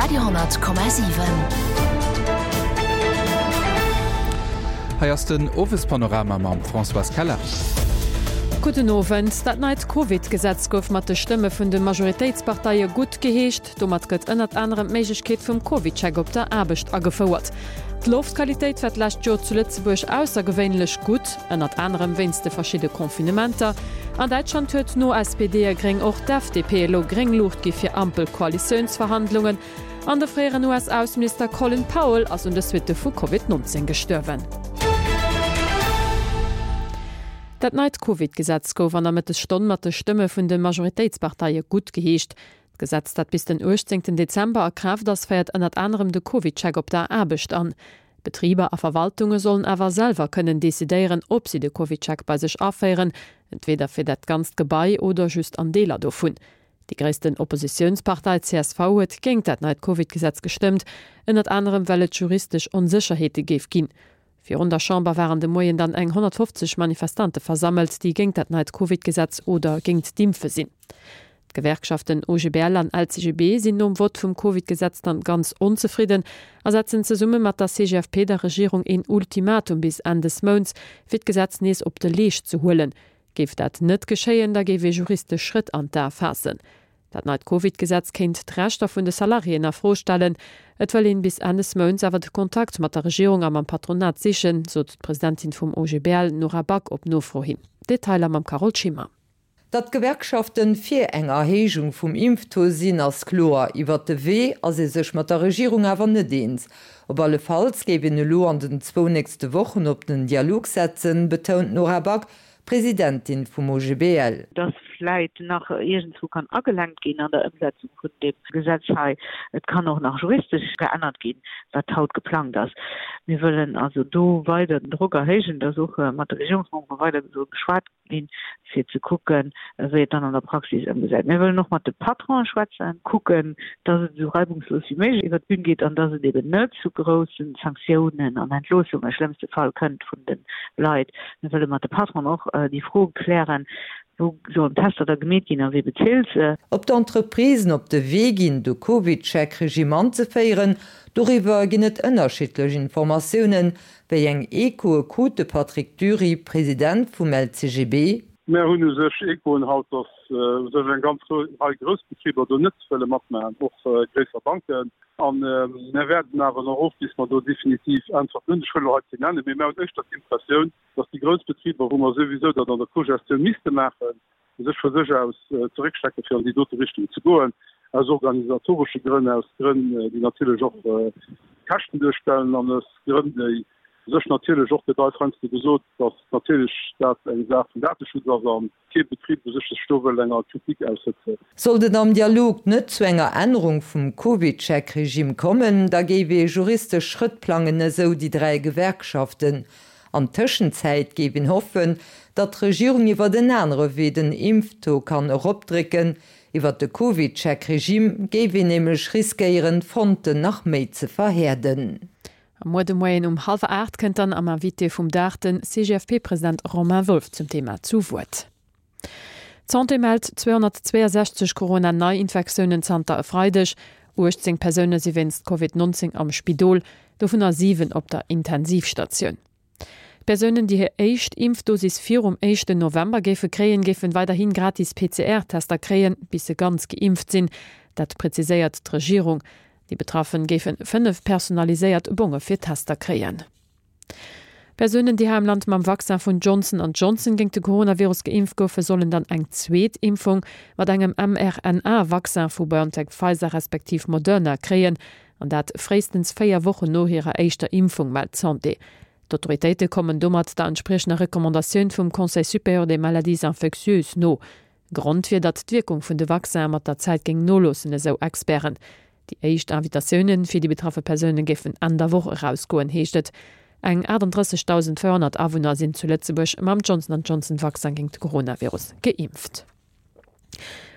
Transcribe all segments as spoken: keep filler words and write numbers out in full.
Radio honnert Komma siwen. Hei ass den Owespanorama mam Françoise Keller. Gudden Owend. Dat neit Covid-Gesetz gouf mat de Stëmme vun de Majoritéitsparteie guttgeheescht. Domat gëtt ënnert anerem d'Méiglechkeet vum CovidCheck op der Aarbecht agefouert. D'Loftqualitéit war d'lescht Joer zu Lëtzebuerg aussergewéinlech gutt, ënnert anerem wéinst de verschidde Confinementer. An Däitschland huet no S P D a Gréng och d'F D P elo gréng Luucht gi fir Ampel-Koalitiounsverhandlungen. An de fréieren U S-Ausseminister Colin Powell ass un de Suitte vu Covid nonzéng gestuerwen. Dat neit Covid-Gesetz gouf an der Mëttesstonn mat de Stëmme vun de Majoritéitsparteie guttgeheescht. D'Gesetz, dat bis den uechtzéngten Dezember a Kraaft ass, féiert ënnert anerem de Covid-Check op der Aarbecht an. Betriber a Verwaltunge sollen awer selwer kënnen decidéieren, ob si de Covid-Check bei sech aféieren, entweder fir dat ganzt Gebai oder just an Deeler dovun. Déi gréissten Oppositiounspartei C S V huet géint dat neit Covid-Gesetz gestëmmt, ënnert anerem well et juristesch Onsécherheete géif ginn. Virun der Chamber waren de Moien dann eng honnertfofzeg Manifestante versammelt, déi géint dat neit Covid-Gesetz oder géint d'Impfe sinn. D'Gewerkschaften O G B L an L C G B sinn nom Vott vum Covid-Gesetz dann ganz onzefridden a setzen zesumme mat der C G F P der Regierung een Ultimatum bis Enn des Mounts, fir d'Gesetz nees op de Leescht ze huelen. Géif dat net geschéien, da géif ee juristesch Schrëtt an d'A faassen. Dat neit Covid-Gesetz kéint d'Rechter vun de Salariéen a Fro stellen. Et wëll een bis Enn des Mounts awer de Kontakt mat der Regierung a mam Patronat sichen, sot d'Presidentin vum O G B L Nora Back op Nofro hin. Detailer mam Carole Schimmer. Datt d'Gewerkschaften fir eng Erhéijung vum Impftaux sinn, ass kloer. Iwwer de Wee ass ee sech mat der Regierung awer net eens. Op alle Falls géif een elo an den zwou nächste Wochen op den Dialog setzen, betount Nora Back, Presidentin vum O G B L. Dass vläicht nach irgendwo kann agelenkt ginn an der Ëmsetzung vun dem Gesetz hei. Et kann och nach juristesch geännert ginn, wat haut geplant ass. Mir wëllen also do weider den Drock erhéijen, dass och mat der Regierungsmembere weider so geschwat ginn, fir ze kucken, wéi et dann an der Praxis ëmgesetzt. Mir wëllen och mat de Patronen schwätzen, kucken, dass et so reibungslos wie möglich iwwer d'Bühn geht an dass et eben net zu großen Sanktionen an Entloossungen im schlimmsten Fall kënnt vun den Leit. Mir wëllen mat de Patronen och, äh, déi Fro klären, wo sollen Tester da gemeet ginn a wie bezilt se? Ob d'Entreprisen op de Wee ginn, de Covid-Check-Regime anzeféieren, doriwwer ginn et ënnerschiddlech Informatiounen, wéi eng Echoe krut de Patrick Dury, President vum L C G B. Mir hunn u sech Echoen haut, dass, äh, u sech eng ganz gro-, Rei Groussbetriber do net wëlle matmachen, och, äh, gréisser Banken. An, äh, mir werden awer noch of, bis wir do definitiv Antworten hunn. Ech wëll elo hei keen nennen, mee mir hunn éischter d'Impressioun, dass die Großbetriebe, wo man sowieso dat an der Kogestion misste machen, sich von sich aus, äh, zurückstecken, für in die dritte Richtung zu gehen, aus organisatorischen Gründen, aus Gründen, äh, die natürlich auch, äh, Kästen durchstellen, an aus Gründen, die sich natürlich auch der Franz gesagt, dass natürlich das eine Sache von Datenschutz ist, an kein Betrieb sich das Stoffel länger Kritik aussetzen. Sollte am Dialog net zu enger Änderung vum Covid-Check-Regime kommen, da géif ee juristesch Schrëtt plangen, esou die drei Gewerkschaften. An Tëschenzäit géif een hoffen, datt d'Regierung iwwer den anere Wee den Impftaux kann eropdrécken. Iwwer de Covid-Check-Regime géif een nämlech riskéieren, d'Fronten nach méi ze verhärden. Am Muer de Moien um halwer acht kënnt dann am Invité vum Dag den C G F P-President Romain Wolff zum Thema zu Wuert. D'Santé mellt zweihundertzweiundsechzeg Corona-Neuinfektiounen zanter e Freideg. achtzehn Persounen si wéinst Covid neunzehn am Spidol, dovunner siwen op der Intensivstatioun. Persounen, déi hir éischt Impfdosis virum éischten November géife kréien, géifen weiderhin gratis P C R-Tester kréien, bis se ganz geimpft sinn. Dat präziséiert d'Regierung. Déi Betraffenen géifen fënnef personaliséiert Bonge fir Tester kréien. Persounen, déi hei am Land mam Vaccin vun Johnson and Johnson géint de Coronavirus geimpft goufen, sollen dann eng zweet Impfung mat engem M R N A-Vaccin vu BioNTech, Pfizer respektiv Moderna kréien, an dat fréistens véier Wochen no hirer éischter Impfung, mellt d'Santé. D'Autoritéite kommen domat der entsprechender Recommandatioun vum Conseil supérieur des maladies infectieuses no. Grond wier, datt d'Wirkung vun de Vaccin mat der Zäit géing noloossen, esou Experten. Déi éischt Invitatiounen fir déi betraffe Persounen géifen Enn der Woch erausgoen, heescht et. Eng achtunddrëssigtausendféierhonnert Awunner sinn zu Lëtzebuerg mam Johnson and Johnson Vaccin géint de Coronavirus geimpft.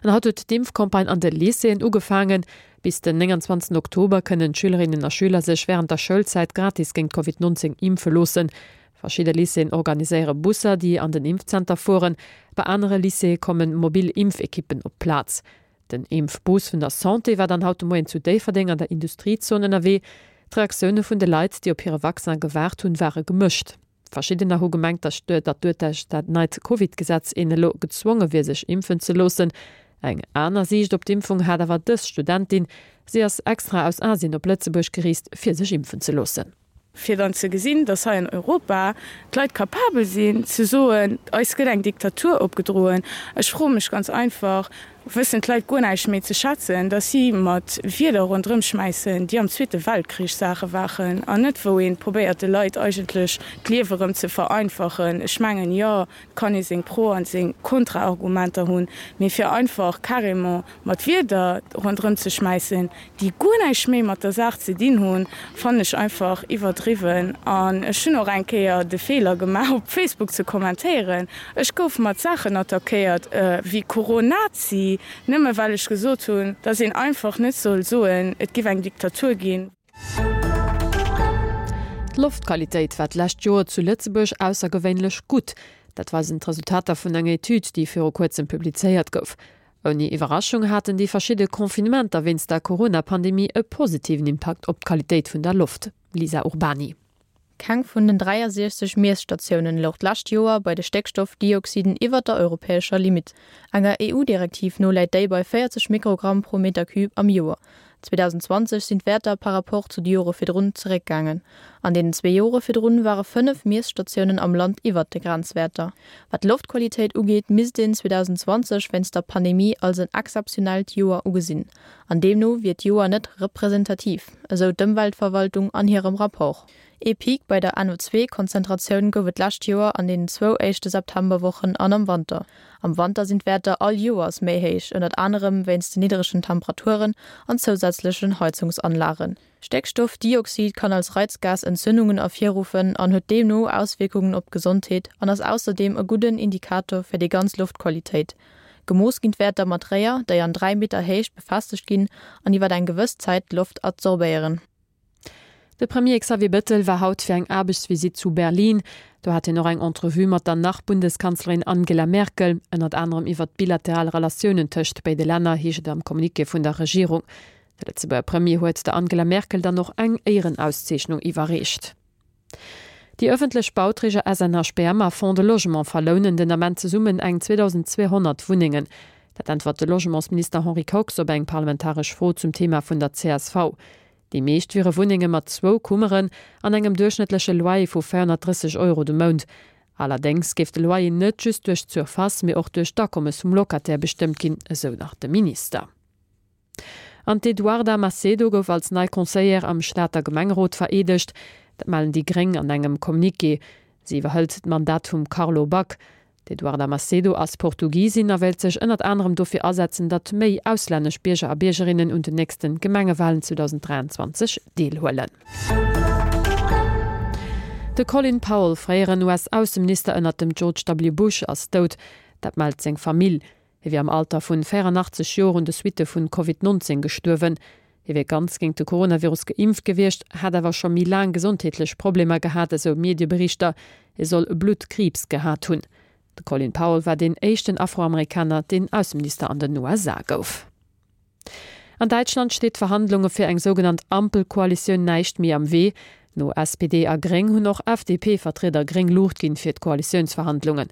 An haut huet d'Impfcampagne an de Lycéeën ugefaangen. Bis den neunundzwanzigsten Oktober kënnen Schülerinnen a Schüler sech während der Schoulzäit gratis géint Covid neunzehn impfe loossen. Verschiedene Lycéeën organiséiere Busser, déi an den Impfzenter fueren. Bei andere Lycéeë kommen mobil Impfekippen op Platz. Den Impfbus vun der Santé war dann haut de Moien zu Déifferdeng an der Industriezon ënnerwee. D'Reaktioune vun de Leit, déi op hire Vaccin gewaart hunn, ware gemëscht. Verschiddener hu gemengt, datt duerch dat neit Covid-Gesetz een elo gezwonge wier, sech impfen ze loossen. Eng aner Siicht op d'Impfung hat awer dës Studentin. Si ass extra aus Asien op Lëtzebuerg gereest, fir sech impfen ze loossen. Fir dann ze gesinn, dass hei an Europa d'Leit capabel sinn ze soen, eis gëtt eng Diktatur opgedroen. Ech froe mech ganz einfach, wëssen d'Leit guer näischt méi ze schätzen, dass si mat Wierder ronderëm schmäissen, déi am Zweete Weltkrich Saache waren an net wou ee probéiert de Leit eigentlech d'Liewe rëm ze vereinfachen. Ech mengen, jo, et kann ee seng Pro an seng Kontraargumenter hunn, mee fir einfach carrément mat Wierder ronderëm ze schmäissen, déi guer näischt méi mat der Saach ze dinn hunn, fannen ech einfach iwwerdriwwen. An ech hunn och eng Kéier de Feeler gemaach, op Facebook ze kommentéieren. Ech gouf mat Saachen attackéiert wéi Coronazi, nëmme well ech gesot hunn, dass een einfach net soll soen, et giff eng Diktatur ginn. D'Loftqualitéit war d'lescht Joer zu Lëtzebuerg aussergewéinlech gutt. Dat weisen d'Resultater vun enger Etüd, déi viru kuerzem publizéiert gouf. Ouni Iwwerraschung haten déi verschidde Confinementer wéinst der Corona-Pandemie e positiven Impakt op d'Qualitéit vun der Loft. Lisa Urbany. Keng vun den dräiasiechzeg Miesstatiounen louch d'lescht Joer bei de Stéckstoffdioxiden iwwert der europäescher Limitt. Enger E U-Direktiv no läit déi bei véierzeg Mikrogramm pro Meter Cube am Joer. zweedausendzwanzeg sinn d'Wäerter par rapport zu de Jore virdrun zeréckgaangen. An deenen zwee Jore virdrun ware fënnef Miesstatiounen am Land iwwert de Grenzwäerter. Wat d'Loftqualitéit ugeet, misst een zweedausendzwanzeg wéinst der Pandemie als en exzeptionellt Joer ugesinn an deemno wier d'Joer net representativ, esou d'Ëmweltverwaltung an hirem Rapport. Ee Peak bei der N O zwee Konzentratioun gouf et d'lescht Joer an deenen zwou éischte Septemberwochen an am Wanter. Am Wanter sinn d'Wäerter all Joers méi héich, ënnert anerem wéinst den niddregen Temperaturen an zousätzlechen Heizungsanlagen. Stéckstoffdioxid kann als Reizgas Entzündungen ervirruffen an huet deemno Auswierkungen op d'Gesondheet an ass ausserdeem e gudden Indikator fir déi ganz Loftqualitéit. Gemooss ginn d'Wäerter mat Réier, déi an dräi Meter Héicht befestegt ginn an iwwer eng gewëss Zäit d'Loft adsorbéieren. De Premier Xavier Bettel war haut fir eng Aarbechtsvisitt zu Berlin. Do hat hien och eng Entrevue mat der Nach-Bundeskanzlerin Angela Merkel, ënnert anerem iwwert d'bilateral Relatiounen tëscht béide Länner, heescht et am Communiqué vun der Regierung. De Lëtzebuerger Premier huet der Angela Merkel dann och eng Éierenauszeechnung iwwerreecht. Déi ëffentlech Bauträger S N H B M a Fonds de Logement verlounen den Ament zesummen eng zweedausendzweehonnert Wunnengen. Dat äntwert de Logementsminister Henri Kox op eng parlamentaresch Fro zum Thema vun der C S V. Déi meescht wiere Wunnenge mat zwou Kummeren an engem duerchschnëttleche Loyer vu véierhonnertdrësseg Euro de Mount. Allerdéngs géif de Loyer net just duerch d'Surface, mee och duerch d'Akommes vum Locataire bestëmmt ginn, esou nach de Minister. An d'Eduarda Macedo gouf als nei Conseillère am Stater Gemengerot vereedegt. Dat mellen déi Gréng an engem Communiqué. Si iwwerhëlt d'Mandat vum Carlo Back. D'Eduarda Macedo ass Portugisin a wéilt sech ënnert anerem dofir asetzen, datt méi auslännesch Bierger a Biergerinnen un den nächste Gemengewalen zweedausenddräianzwanzeg deelhuelen. De Colin Powell, fréieren U S-Ausseminister ënnert dem George W. Bush, ass dout. Dat mellt seng Famill. Hie wier am Alter vun véierannachtzeg Joer un de Suitte vun Covid nonzéng gestuerwen. Hie wier ganz géint de Coronavirus geimpft gewiescht, hätt awer scho méi laang gesondheetlech Problemer gehat, esou Medieberichter. Hie soll Bluttkriibs gehat hunn. De Colin Powell war deen éischten Afroamerikaner, deen Ausseminister an den U S A gouf. An Däitschland steet Verhandlunge fir eng sougenannt Ampelkoalitioun näischt méi am Wee. No S P D a Gréng hunn och F D P-Vertrieder gréng Luucht ginn fir d'Koalitiounsverhandlungen.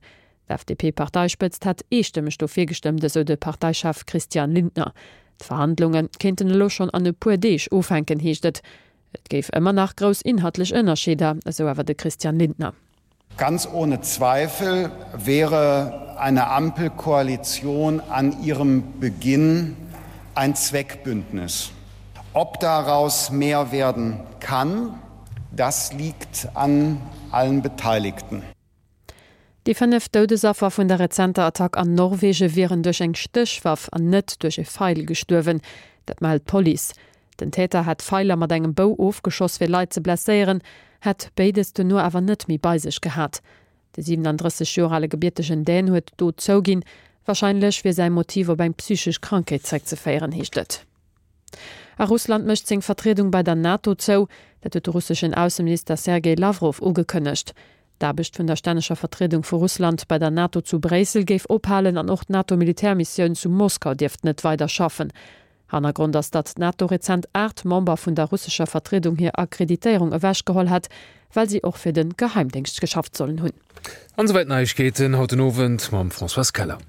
D'F D P-Parteispëtzt hätt eestëmmeg dofir gestëmmt, esou de Parteichef Christian Lindner. D'Verhandlunge kéinten elo schonn an e puer Deeg ufänken, heescht et. Et géif ëmmer nach grouss inhaltlech Ënnerscheeder, esou awer de Christian Lindner. Ganz ohne Zweifel wäre eine Ampelkoalition an ihrem Beginn ein Zweckbündnis. Ob daraus mehr werden kann, das liegt an allen Beteiligten. Déi fënnef Doudesaffer vun der rezenter Attack an Norwege wieren duerch eng Stéchwaff an net duerch e Feil gestuerwen, dat mellt d'Police. Den Täter hätt Feiler mat engem Bou ofgeschoss fir Leit ze blesséieren, hätt béides dono awer net méi bei sech gehat. De siewenanddrësseg Joer ale gebiertegen Dän huet d'Dot zouginn. Warscheinlech wier säi Motiv op eng psychesch Krankheet zeréckzeféieren, heescht et. A Russland mécht seng Vertriedung bei der NATO zou, dat huet de russeschen Ausseminister Sergej Lawrow ugekënnegt. D'Aarbecht vun der stänneger Vertriedung vu Russland bei der NATO zu Bréissel géif ophalen an och d'NATO-Militärmissioun zu Moskau dierft net weider schaffen. Hannergrond ass, datt d'NATO rezent aacht Member vun der russescher Vertriedung hir Akkreditéierung ewechgeholl hätt, well si och fir de Geheimdéngscht geschafft sollen hunn. An esouwäit d'Neiegkeeten haut den Owend mam Françoise Keller.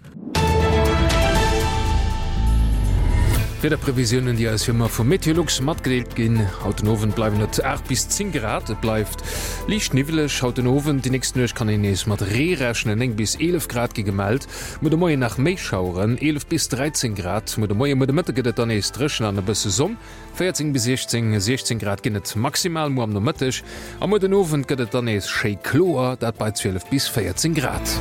D'Wiederprevisiounen, déi eis wéi ëmmer vu Meteolux matgedeelt ginn, Haut den Owend bleiwen et aacht bis zéng Grad, et bleift liicht niwweleg haut den Owend. Déi nächst Nuecht kann een nees mat Ree rechnen, néng bis eelef Grad gi gemellt. Muer de Moien nach méi Schaueren, eelef bis dräizéng Grad muer de Moien. Muer de Mëtte gëtt et dann nees dréchen an e bësse Sonn, véierzéng bis siechzéng, siechzéng Grad ginn et maximal muer am Nomëtteg. A muer den Owend gëtt et dann nees schéi kloer, dat bei zwielef bis véierzéng Grad.